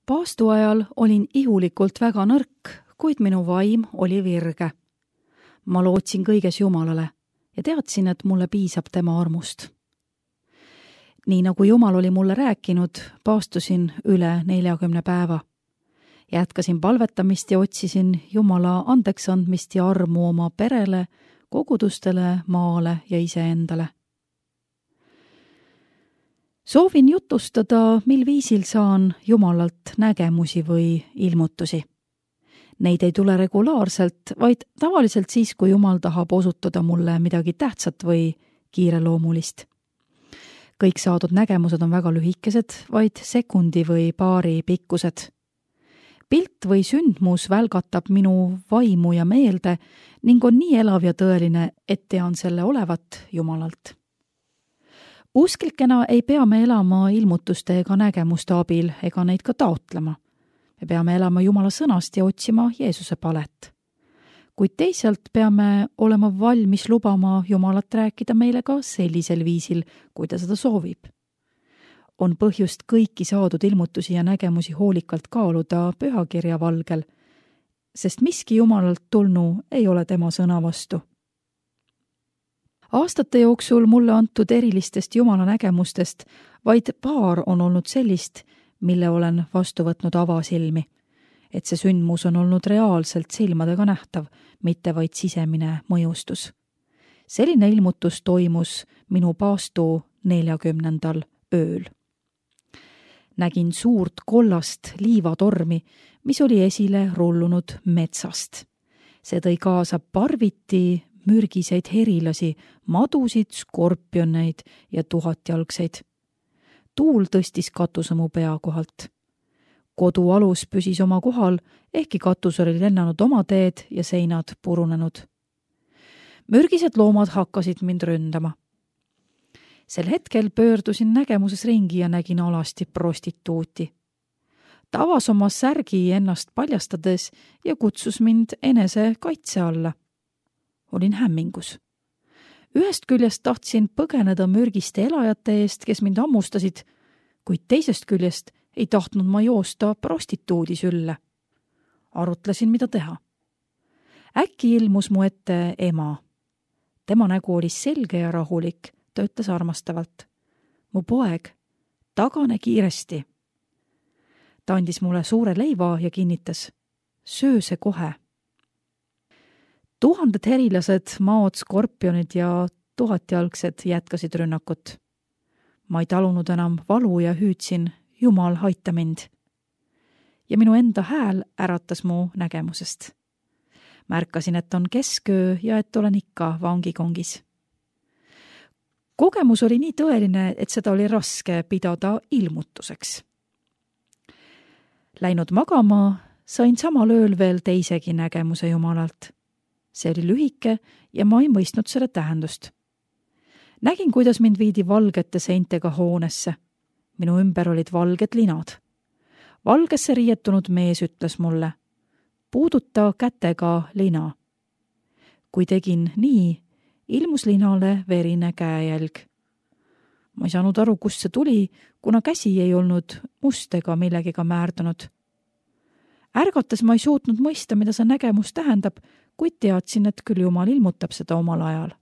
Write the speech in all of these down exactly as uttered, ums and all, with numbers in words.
Paastu ajal olin ihulikult väga nõrk, kuid minu vaim oli virge. Ma lootsin kõiges Jumalale ja teadsin, et mulle piisab tema armust. Nii nagu Jumal oli mulle rääkinud, paastusin üle neljakümne päeva. Jätkasin palvetamist ja otsisin Jumala andeks andmist ja armu oma perele, kogudustele, maale ja iseendale. Soovin jutustada, mil viisil saan Jumalalt nägemusi või ilmutusi. Neid ei tule regulaarselt, vaid tavaliselt siis, kui Jumal tahab osutada mulle midagi tähtsat või kiireloomulist. Kõik saadud nägemused on väga lühikesed, vaid sekundi või paari pikkused. Pilt või sündmus välgatab minu vaimu ja meelde ning on nii elav ja tõeline, et tean selle olevat Jumalalt. Usklikena ei pea me elama ilmutuste ega nägemuste abil ega neid ka taotlema. Me peame elama Jumala sõnast ja otsima Jeesuse palet. Kuid teisalt peame olema valmis lubama Jumalat rääkida meile ka sellisel viisil, kui ta seda soovib. On põhjust kõiki saadud ilmutusi ja nägemusi hoolikalt kaaluda pühakirja valgel, sest miski Jumalalt tulnu ei ole tema sõna vastu. Aastate jooksul mulle antud erilistest Jumala nägemustest vaid paar on olnud sellist, mille olen vastu võtnud avasilmi, et see sündmus on olnud reaalselt silmadega nähtav, mitte vaid sisemine mõjustus. Selline ilmutus toimus minu paastu neljakümnendal ööl. Nägin suurt kollast liivatormi, mis oli esile rullunud metsast. See tõi kaasa parviti mürgiseid herilasi, madusid, skorpioneid ja tuhatjalgseid. Tuul tõstis katuse mu pea kohalt. Kodu alus püsis oma kohal, ehkki katus oli lennanud oma teed ja seinad purunenud. Mürgised loomad hakkasid mind ründama. Sel hetkel pöördusin nägemuses ringi ja nägin alasti prostituuti. Ta avas oma särgi ennast paljastades ja kutsus mind enese kaitse alla. Olin hämmingus. Ühest küljest tahtsin põgeneda mürgiste elajate eest, kes mind ammustasid, kuid teisest küljest ei tahtnud ma joosta prostituudi sülle. Arutlesin, mida teha. Äkki ilmus mu ette ema. Tema nägu oli selge ja rahulik, ta ütles armastavalt. Mu poeg, tagane kiiresti. Ta andis mulle suure leiva ja kinnitas. Söö see kohe. Tuhanded herilased, maod, skorpionid ja tuhatjalgsed jätkasid rünnakut. Ma ei talunud enam valu ja hüüdsin, Jumal, aita mind. Ja minu enda hääl äratas mu nägemusest. Märkasin, et on kesköö ja et olen ikka vangikongis. Kogemus oli nii tõeline, et seda oli raske pidada ilmutuseks. Läinud magama, sain samal ööl veel teisegi nägemuse Jumalalt. See oli lühike ja ma ei mõistnud selle tähendust. Nägin, kuidas mind viidi valgete seintega hoonesse. Minu ümber olid valged linad. Valgesse riietunud mees ütles mulle, puuduta kätega lina. Kui tegin nii, ilmus linale verine käejälg. Ma ei saanud aru, kust see tuli, kuna käsi ei olnud must ega millegiga määrdunud. Ärgates ma ei suutnud mõista, mida see nägemus tähendab, kuid teadsin, et küll Jumal ilmutab seda omal ajal.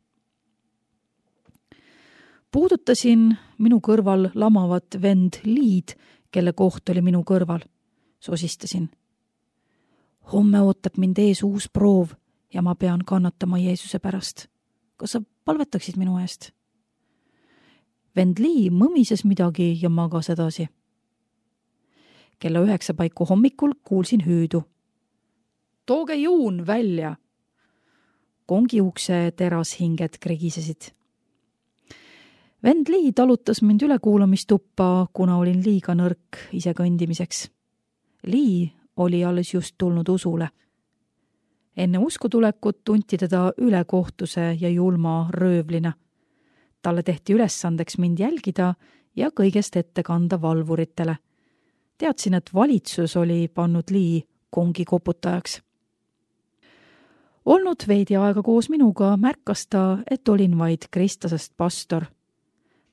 Puudutasin minu kõrval lamavat vend Liid, kelle koht oli minu kõrval. Sosistasin. Homme ootab mind ees uus proov ja ma pean kannatama Jeesuse pärast. Kas sa palvetaksid minu eest? Vend Lii mõmises midagi ja magas edasi. Kella üheksa paiku hommikul kuulsin hüüdu. Tooge juun välja! Kongi ukse terashinged krigisesid. Vend Lii talutas mind ülekuulamistuppa, kuna olin liiga nõrk ise kõndimiseks. Lii oli alles just tulnud usule. Enne uskutulekut tunti teda ülekohtuse ja julma röövlina. Talle tehti ülesandeks mind jälgida ja kõigest ette kanda valvuritele. Teadsin, et valitsus oli pannud Lii kongi koputajaks. Olnud veidi aega koos minuga, märkas ta, et olin vaid kristlasest pastor.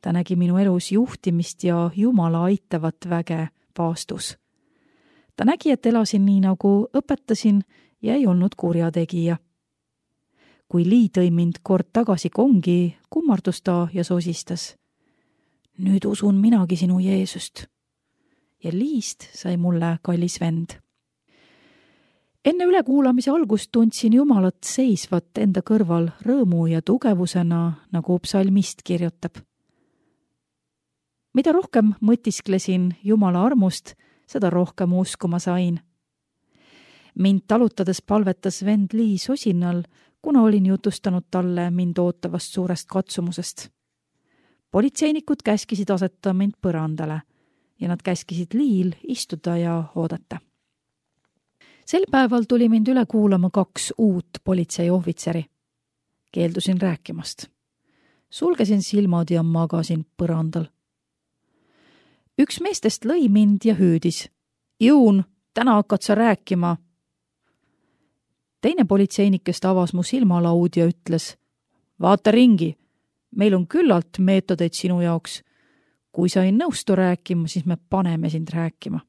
Ta nägi minu elus juhtimist ja Jumala aitavat väge paastus. ta nägi, et elasin nii, nagu õpetasin ja ei olnud kurjategija. Kui Lii tõi mind kord tagasi kongi, kummardus ta ja sosistas. Nüüd usun minagi sinu Jeesust. Ja Liist sai mulle kallis vend. Enne ülekuulamise algust tundsin Jumalat seisvat enda kõrval rõõmu ja tugevusena, nagu psalmist kirjutab. Mida rohkem mõtisklesin Jumala armust, seda rohkem uskuma sain. Mind talutades palvetas vend Lii sosinal, kuna olin jutustanud talle mind ootavast suurest katsumusest. Politseinikud käskisid aseta mind põrandale ja nad käskisid Liil istuda ja oodata. Sel päeval tuli mind üle kuulama kaks uut politseiohvitseri. Keeldusin rääkimast. Sulgesin silmad ja magasin põrandal. Üks meestest lõi mind ja hüüdis. Jõun, täna hakkad sa rääkima. Teine politseinikest avas mu silmalaud ja ütles. Vaata ringi, meil on küllalt meetodeid sinu jaoks. Kui sa ei nõustu rääkima, siis me paneme sind rääkima.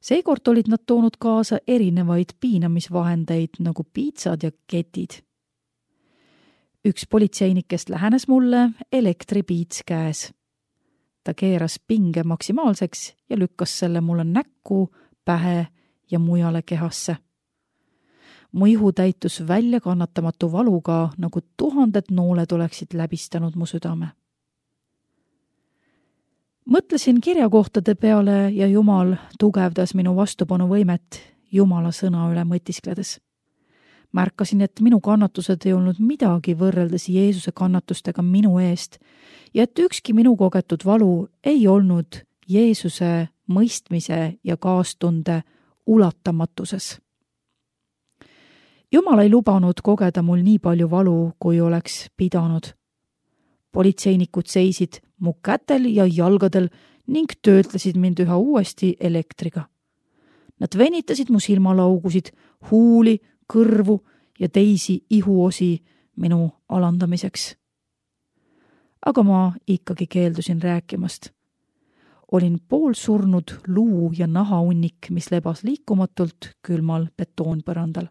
Seekord olid nad toonud kaasa erinevaid piinamisvahendeid nagu piitsad ja ketid. Üks politseinikest lähenes mulle elektripiits käes. Ta keeras pinge maksimaalseks ja lükkas selle mulle näkku, pähe ja mujale kehasse. Mu ihu täitus välja kannatamatu valuga, nagu tuhanded nooled oleksid läbistanud mu südame. Mõtlesin kirjakohtade peale ja Jumal tugevdas minu vastupanuvõimet Jumala sõna üle mõtiskledes. Märkasin, et minu kannatused ei olnud midagi võrreldes Jeesuse kannatustega minu eest ja et ükski minu kogetud valu ei olnud Jeesuse mõistmise ja kaastunde ulatamatuses. Jumal ei lubanud kogeda mul nii palju valu, kui oleks pidanud. Politseinikud seisid mu kätel ja jalgadel ning töötlesid mind üha uuesti elektriga. Nad venitasid mu silmalaugusid, huuli, kõrvu ja teisi ihuosi minu alandamiseks. Aga ma ikkagi keeldusin rääkimast. Olin poolsurnud luu ja nahahunnik, mis lebas liikumatult külmal betoonpõrandal.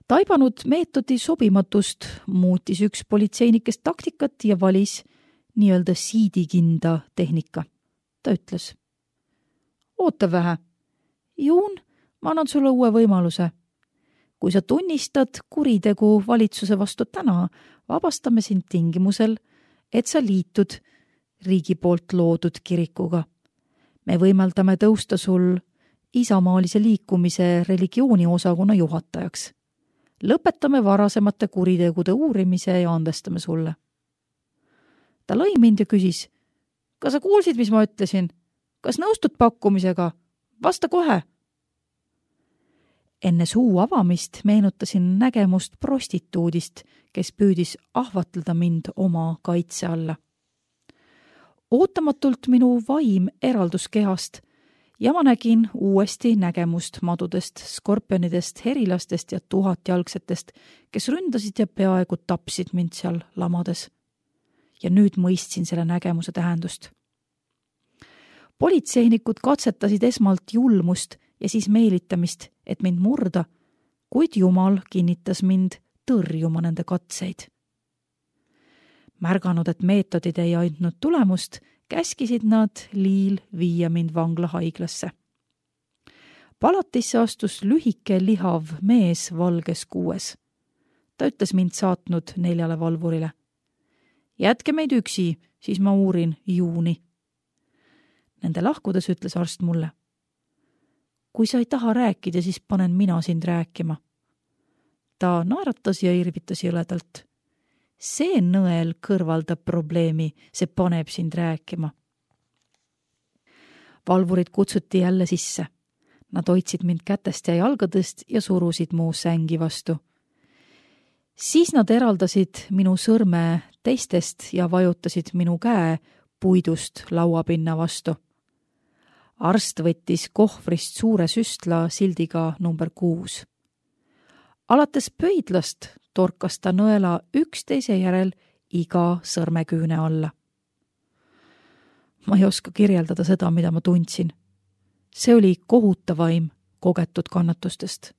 Taibanud meetodi sobimatust muutis üks politseinikest taktikat ja valis nii-öelda siidikinda tehnika. Ta ütles, oota vähe. Juun, ma annan sulle uue võimaluse. Kui sa tunnistad kuritegu valitsuse vastu täna, vabastame sind tingimusel, et sa liitud riigi poolt loodud kirikuga. Me võimaldame tõusta sul isamaalise liikumise religiooni osakonna juhatajaks. Lõpetame varasemate kuritegude uurimise ja andestame sulle. Ta lõi mind ja küsis, kas sa kuulsid, mis ma ütlesin? Kas nõustud pakkumisega? Vasta kohe! Enne suu avamist meenutasin nägemust prostituudist, kes püüdis ahvatleda mind oma kaitse alla. Ootamatult minu vaim eraldus kehast ja ma nägin uuesti nägemust madudest, skorpionidest, herilastest ja tuhatjalgsetest, kes ründasid ja peaaegu tapsid mind seal lamades. Ja nüüd mõistsin selle nägemuse tähendust. Politseinikud katsetasid esmalt julmust ja siis meelitamist, et mind murda, kuid Jumal kinnitas mind tõrjuma nende katseid. Märganud, et meetodid ei andnud tulemust, käskisid nad Liil viia mind vanglahaiglasse. Palatisse astus lühike lihav mees valges kuues. Ta ütles mind saatnud neljale valvurile. Jätke meid üksi, siis ma uurin Juuni. Nende lahkudes ütles arst mulle. Kui sa ei taha rääkida, siis panen mina sind rääkima. Ta naeratas ja irvitas jõledalt. See nõel kõrvaldab probleemi, see paneb sind rääkima. Valvurid kutsuti jälle sisse. Nad hoidsid mind kätest ja jalgadest ja surusid mu sängi vastu. Siis nad eraldasid minu sõrme teistest ja vajutasid minu käe puidust lauapinna vastu. Arst võttis kohvrist suure süstla sildiga number kuus. Alates pöidlast torkas ta nõela üksteise järel iga sõrmeküüne alla. Ma ei oska kirjeldada seda, mida ma tundsin. See oli kohutavaim kogetud kannatustest.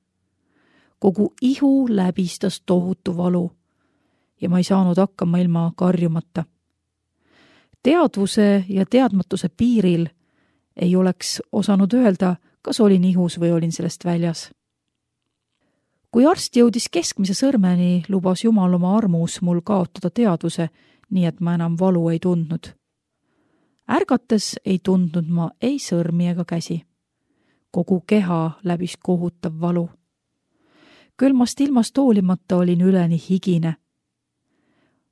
Kogu ihu läbistas tohutu valu ja ma ei saanud hakkama ilma karjumata. Teadvuse ja teadmatuse piiril ei oleks osanud öelda, kas olin ihus või olin sellest väljas. Kui arst jõudis keskmise sõrmeni, lubas Jumal oma armus mul kaotada teadvuse, nii et ma enam valu ei tundnud. Ärgates ei tundnud ma ei sõrmi ega käsi. Kogu keha läbis kohutav valu. Külmast ilmast hoolimata olin üleni higine.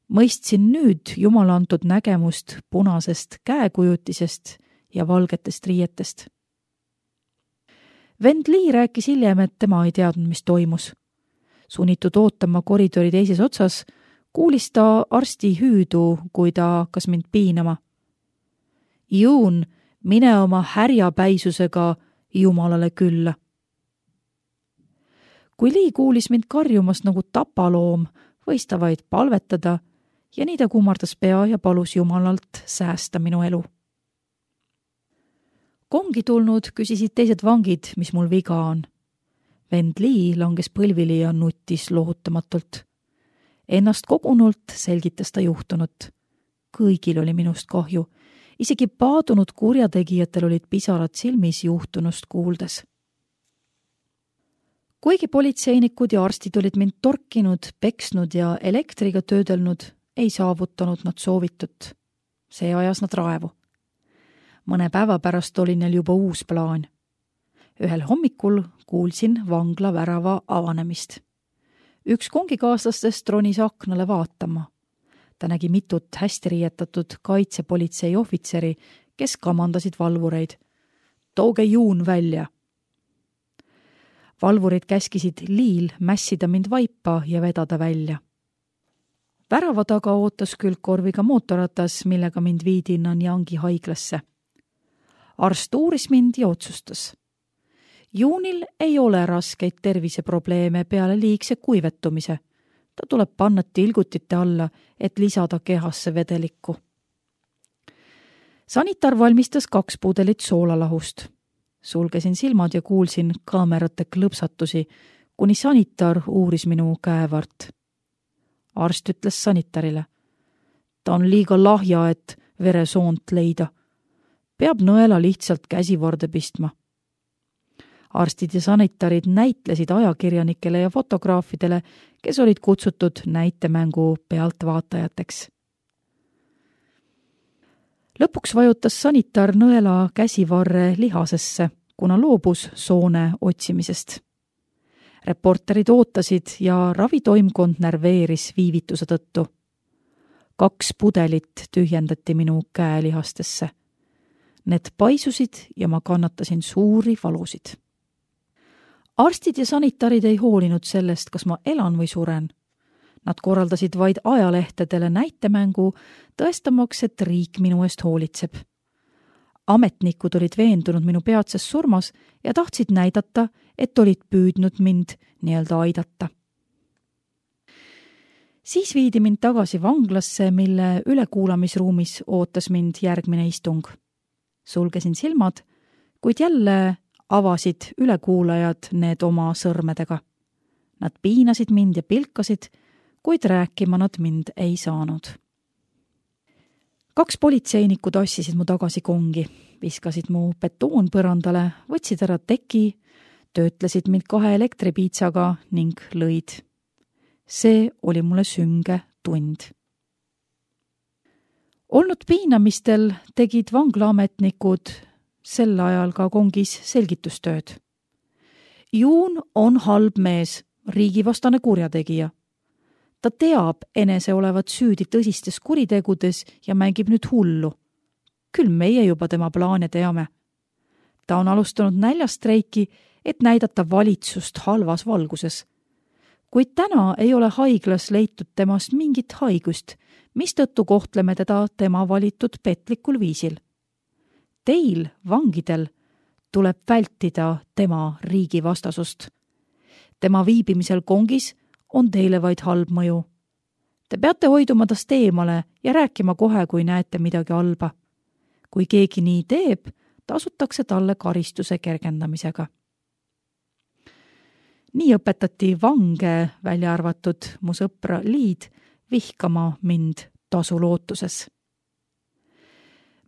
Mõistsin nüüd Jumala antud nägemust punasest käekujutisest ja valgetest riietest. Vend Lee rääkis hiljem, et tema ei teadnud, mis toimus. Sunnitud ootama koridori teises otsas, kuulis ta arsti hüüdu, kui ta hakkas mind piinama. Juun, mine oma härjapäisusega Jumalale külla. Kui Lee kuulis mind karjumas nagu tapaloom, võis ta vaid palvetada ja nii ta kummardas pea ja palus Jumalalt säästa minu elu. Kongi tulnud küsisid teised vangid, mis mul viga on. Vend Lee langes põlvili ja nutis lohutamatult. Ennast kogunult selgitas ta juhtunut. Kõigil oli minust kahju. Isegi paadunud kurjategijatel olid pisarad silmis juhtunust kuuldes. Kuigi politseinikud ja arstid olid mind torkinud, peksnud ja elektriga töödelnud, ei saavutanud nad soovitut. See ajas nad raevu. Mõne päeva pärast oli neil juba uus plaan. Ühel hommikul kuulsin vangla värava avanemist. Üks kongikaaslastest ronis aknale vaatama. Ta nägi mitut hästi riietatud kaitsepolitsei ohvitseri, kes kamandasid valvureid. Tooge Juun välja! Valvurid käskisid Liil mässida mind vaipa ja vedada välja. Värava taga ootas külgkorviga mootorratas, millega mind viidi Nanyangi haiglasse. Arst uuris mind ja otsustas. Juunil ei ole raskeid terviseprobleeme peale liigse kuivetumise. Ta tuleb panna tilgutite alla, et lisada kehasse vedelikku. Sanitar valmistas kaks pudelit soolalahust. Sulgesin silmad ja kuulsin kaamerate klõpsatusi, kuni sanitar uuris minu käevart. Arst ütles sanitarile. Ta on liiga lahja, et veresoont leida. Peab nõela lihtsalt käsivarde pistma. Arstid ja sanitarid näitlesid ajakirjanikele ja fotograafidele, kes olid kutsutud näitemängu pealtvaatajateks. Lõpuks vajutas sanitar nõela käsivarre lihasesse, kuna loobus soone otsimisest. Reporterid ootasid ja ravitoimkond närveeris viivituse tõttu. Kaks pudelit tühjendati minu käelihastesse. Need paisusid ja ma kannatasin suuri valusid. Arstid ja sanitarid ei hoolinud sellest, kas ma elan või suren. Nad korraldasid vaid ajalehtedele näitemängu, tõestamaks, et riik minu eest hoolitseb. Ametnikud olid veendunud minu peatses surmas ja tahtsid näidata, et olid püüdnud mind nii-öelda aidata. Siis viidi mind tagasi vanglasse, mille ülekuulamisruumis ootas mind järgmine istung. Sulgesin silmad, kuid jälle avasid ülekuulajad need oma sõrmedega. Nad piinasid mind ja pilkasid, kuid rääkima nad mind ei saanud. Kaks politseinikku tassisid mu tagasi kongi, viskasid mu betoon põrandale, võtsid ära teki, töötlesid mind kahe elektripiitsaga ning lõid. See oli mulle sünge tund. Olnud piinamistel tegid vanglaametnikud sel ajal ka kongis selgitustööd. Juun on halb mees, riigivastane kurjategija. Ta teab enese olevat süüdi tõsistes kuritegudes ja mängib nüüd hullu. Küll meie juba tema plaane teame. Ta on alustanud näljastreiki, et näidata valitsust halvas valguses. Kuid täna ei ole haiglas leitud temast mingit haigust, mistõttu kohtleme teda tema valitud petlikul viisil. Teil, vangidel, tuleb vältida tema riigivastasust. Tema viibimisel kongis on teile vaid halb mõju. Te peate hoiduma tast eemale ja rääkima kohe, kui näete midagi halba. Kui keegi nii teeb, tasutakse talle karistuse kergendamisega. Nii õpetati vange, välja arvatud mu sõpra Liid, vihkama mind tasu lootuses.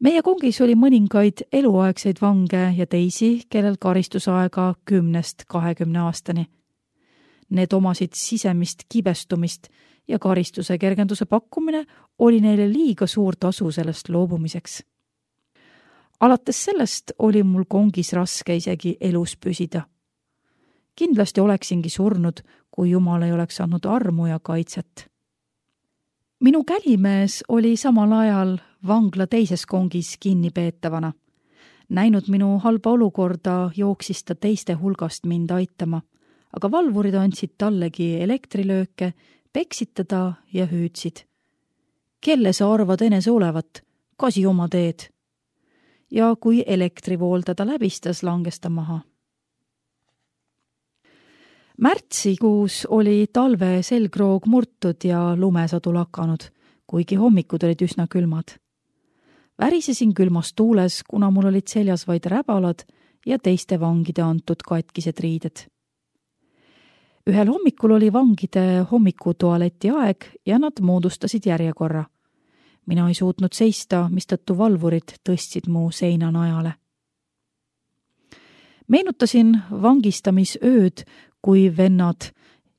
Meie kongis oli mõningaid eluaegseid vange ja teisi, kellel karistusaega kümnest kahekümne aastani. Need omasid sisemist kibestumist ja karistuse kergenduse pakkumine oli neile liiga suur tasu sellest loobumiseks. Alates sellest oli mul kongis raske isegi elus püsida. Kindlasti oleksingi surnud, kui Jumal ei oleks andnud armu ja kaitset. Minu kälimees oli samal ajal vangla teises kongis kinnipeetavana. Näinud minu halba olukorda, jooksis ta teiste hulgast mind aitama, aga valvurid andsid tallegi elektrilööke, peksid teda ja hüüdsid. Kelle sa arvad enese olevat? Kasi oma teed. Ja kui elektrivool teda läbistas, langes ta maha. Märtsikuus oli talve selgroog murtud ja lumesadu lakanud, kuigi hommikud olid üsna külmad. Värisesin külmas tuules, kuna mul olid seljas vaid räbalad ja teiste vangide antud katkised riided. Ühel hommikul oli vangide hommikutualeti aeg ja nad moodustasid järjekorra. Mina ei suutnud seista, mistõttu valvurid tõstsid mu seina najale. Meenutasin vangistamisööd, kui vennad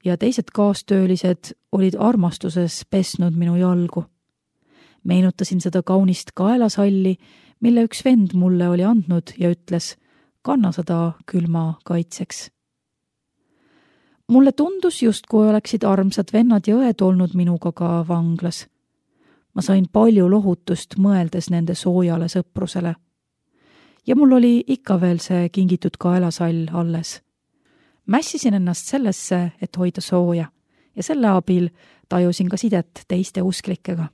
ja teised kaastöölised olid armastuses pesnud minu jalgu. Meenutasin seda kaunist kaelasalli, mille üks vend mulle oli andnud ja ütles, kanna seda külma kaitseks. Mulle tundus just, kui oleksid armsad vennad ja õed olnud minuga ka vanglas. Ma sain palju lohutust mõeldes nende soojale sõprusele. Ja mul oli ikka veel see kingitud kaelasall alles. Mässisin ennast sellesse, et hoida sooja ja selle abil tajusin ka sidet teiste usklikega.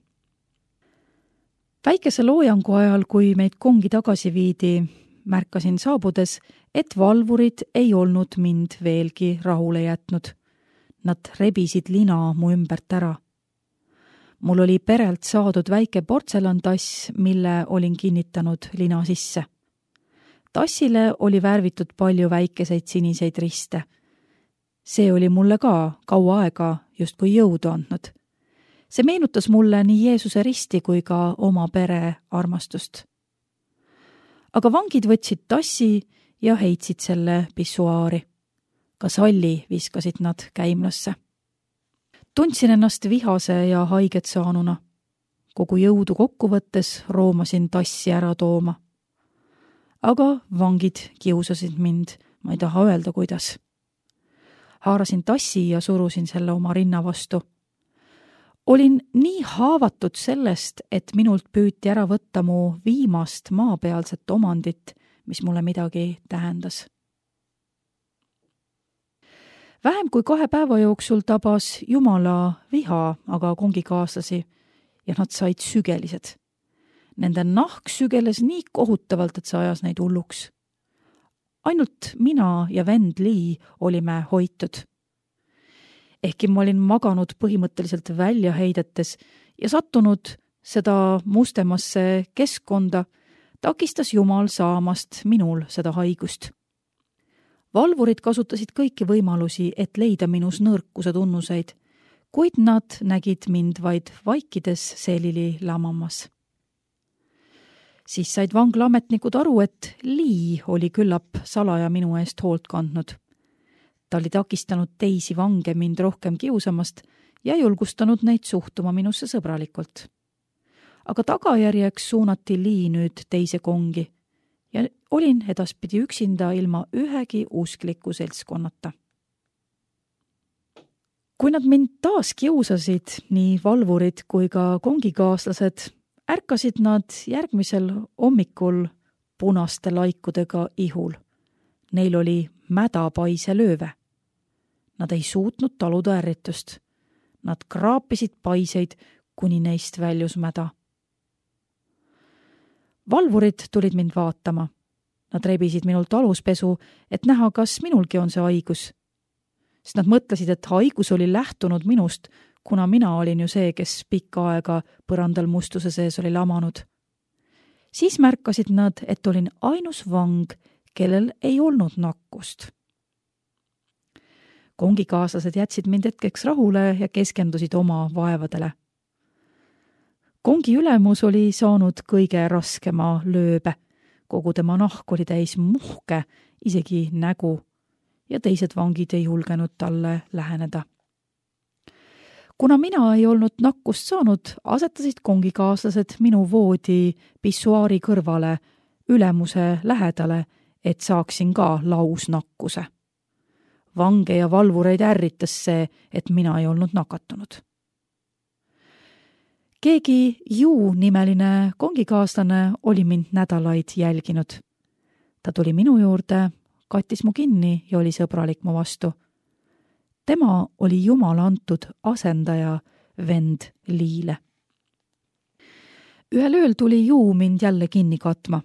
Väikese loojangu ajal, kui meid kongi tagasi viidi, märkasin saabudes, et valvurid ei olnud mind veelgi rahule jätnud. Nad rebisid lina mu ümbert ära. Mul oli perelt saadud väike portselantass, mille olin kinnitanud lina sisse. Tassile oli värvitud palju väikeseid siniseid riste. See oli mulle ka kaua aega justkui jõudu andnud. See meenutas mulle nii Jeesuse risti kui ka oma pere armastust. Aga vangid võtsid tassi ja heitsid selle pissuaari. Ka salli viskasid nad käimlasse. Tundsin ennast vihase ja haiget saanuna. Kogu jõudu kokku võttes roomasin tassi ära tooma. Aga vangid kiusasid mind, ma ei taha öelda, kuidas. Haarasin tassi ja surusin selle oma rinna vastu. Olin nii haavatud sellest, et minult püüti ära võtta mu viimast maapealset omandit, mis mulle midagi tähendas. Vähem kui kahe päeva jooksul tabas Jumala viha aga kongikaaslasi ja nad said sügelised. Nende nahk sügeles nii kohutavalt, et see ajas neid hulluks. Ainult mina ja vend Lee olime hoitud. Ehkki ma olin maganud põhimõtteliselt välja heidetes ja sattunud seda mustemasse keskkonda, takistas Jumal saamast minul seda haigust. Valvurid kasutasid kõiki võimalusi, et leida minus nõrkuse tunnuseid, kuid nad nägid mind vaid vaikides selili lamamas. Siis said vanglaametnikud aru, et Lee oli küllap salaja minu eest hoolt kandnud. Ta oli takistanud teisi vange mind rohkem kiusamast ja julgustanud neid suhtuma minusse sõbralikult. Aga tagajärjeks suunati Lee nüüd teise kongi ja olin edaspidi üksinda ilma ühegi uskliku seltskonnata. Kui nad mind taas kiusasid, nii valvurid kui ka kongikaaslased, ärkasid nad järgmisel hommikul punaste laikudega ihul. Neil oli mädapaise lööve. Nad ei suutnud taluda ärritust. Nad kraapisid paiseid, kuni neist väljus mäda. Valvurid tulid mind vaatama. Nad rebisid minult aluspesu, et näha, kas minulgi on see haigus. Sest nad mõtlesid, et haigus oli lähtunud minust, kuna mina olin ju see, kes pikka aega põrandal mustuse sees oli lamanud. Siis märkasid nad, et olin ainus vang, kellel ei olnud nakkust. Kongikaaslased jätsid mind hetkeks rahule ja keskendusid oma vaevadele. Kongi ülemus oli saanud kõige raskema lööbe. Kogu tema nahk oli täis muhke, isegi nägu, ja teised vangid ei julgenud talle läheneda. Kuna mina ei olnud nakkust saanud, asetasid kongikaaslased minu voodi pissuaari kõrvale ülemuse lähedale, et saaksin ka lausnakkuse. Vange ja valvureid ärritas see, et mina ei olnud nakatunud. Keegi Ju nimeline kongikaaslane oli mind nädalaid jälginud. Ta tuli minu juurde, kattis mu kinni ja oli sõbralik mu vastu. Tema oli Jumala antud asendaja vend Liile. Ühel ööl tuli Ju mind jälle kinni katma.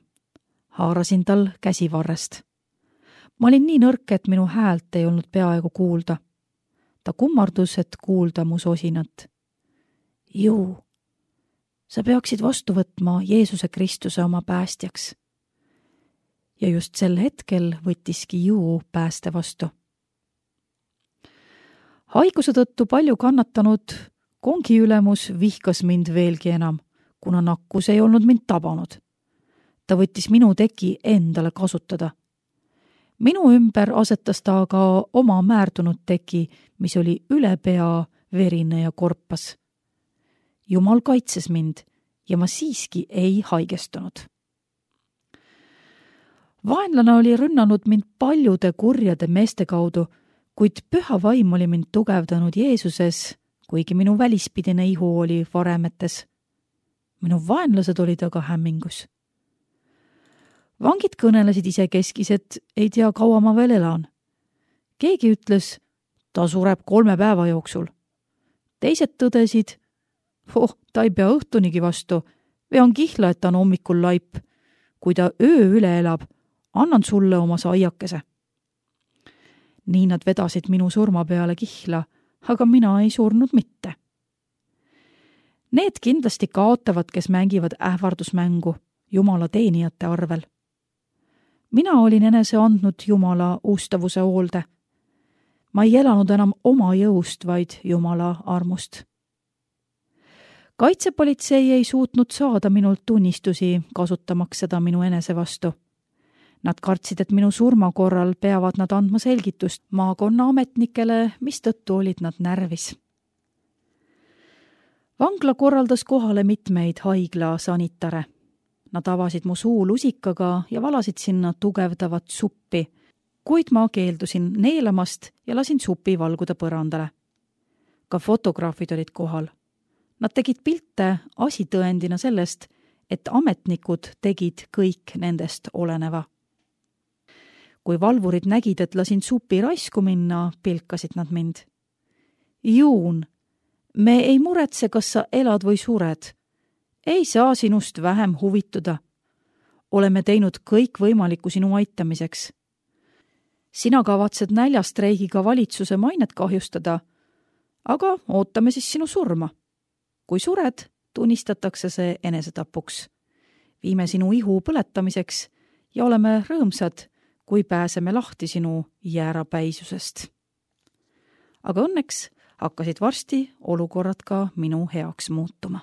Haarasin tal käsivarrest. Ma olin nii nõrk, et minu häält ei olnud peaaegu kuulda. Ta kummardus, et kuulda mu sosinat. Ju, sa peaksid vastu võtma Jeesuse Kristuse oma päästjaks. Ja just sel hetkel võttiski Ju pääste vastu. Haiguse tõttu palju kannatanud kongi ülemus vihkas mind veelgi enam, kuna nakkus ei olnud mind tabanud. Ta võttis minu teki endale kasutada. Minu ümber asetas ta aga oma määrdunud teki, mis oli üle pea verine ja korpas. Jumal kaitses mind ja ma siiski ei haigestunud. Vaenlane oli rünnanud mind paljude kurjade meeste kaudu, kuid püha vaim oli mind tugevdanud Jeesuses, kuigi minu välispidine ihu oli varemetes. Minu vaenlased olid aga hämmingus. Vangid kõnelesid isekeskis, et ei tea, kaua ma veel elan. Keegi ütles, ta sureb kolme päeva jooksul. Teised tõdesid, oh, ta ei pea õhtunigi vastu, vean kihla, et ta on hommikul laip. Kui ta öö üle elab, annan sulle oma saiakese. Nii nad vedasid minu surma peale kihla, aga mina ei surnud mitte. Need kindlasti kaotavad, kes mängivad ähvardusmängu Jumala teenijate arvel. Mina olin enese andnud Jumala ustavuse hoolde. Ma ei elanud enam oma jõust, vaid Jumala armust. Kaitsepolitsei ei suutnud saada minult tunnistusi, kasutamaks seda minu enese vastu. Nad kartsid, et minu surma korral peavad nad andma selgitust maakonna ametnikele, mistõttu olid nad närvis. Vangla korraldas kohale mitmeid haigla sanitare. Nad avasid mu suu lusikaga ja valasid sinna tugevdavat suppi, kuid ma keeldusin neelamast ja lasin supi valguda põrandale. Ka fotograafid olid kohal. Nad tegid pilte asitõendina sellest, et ametnikud tegid kõik nendest oleneva. Kui valvurid nägid, et lasin supi raisku minna, pilkasid nad mind. Juun, me ei muretse, kas sa elad või sured. Ei saa sinust vähem huvituda. Oleme teinud kõik võimalikku sinu aitamiseks. Sina kavatsed näljastreigiga valitsuse mainet kahjustada, aga ootame siis sinu surma. Kui sured, tunnistatakse see enesetapuks. Viime sinu ihu põletamiseks ja oleme rõõmsad, kui pääseme lahti sinu jäärapäisusest. Aga õnneks hakkasid varsti olukorrad ka minu heaks muutuma.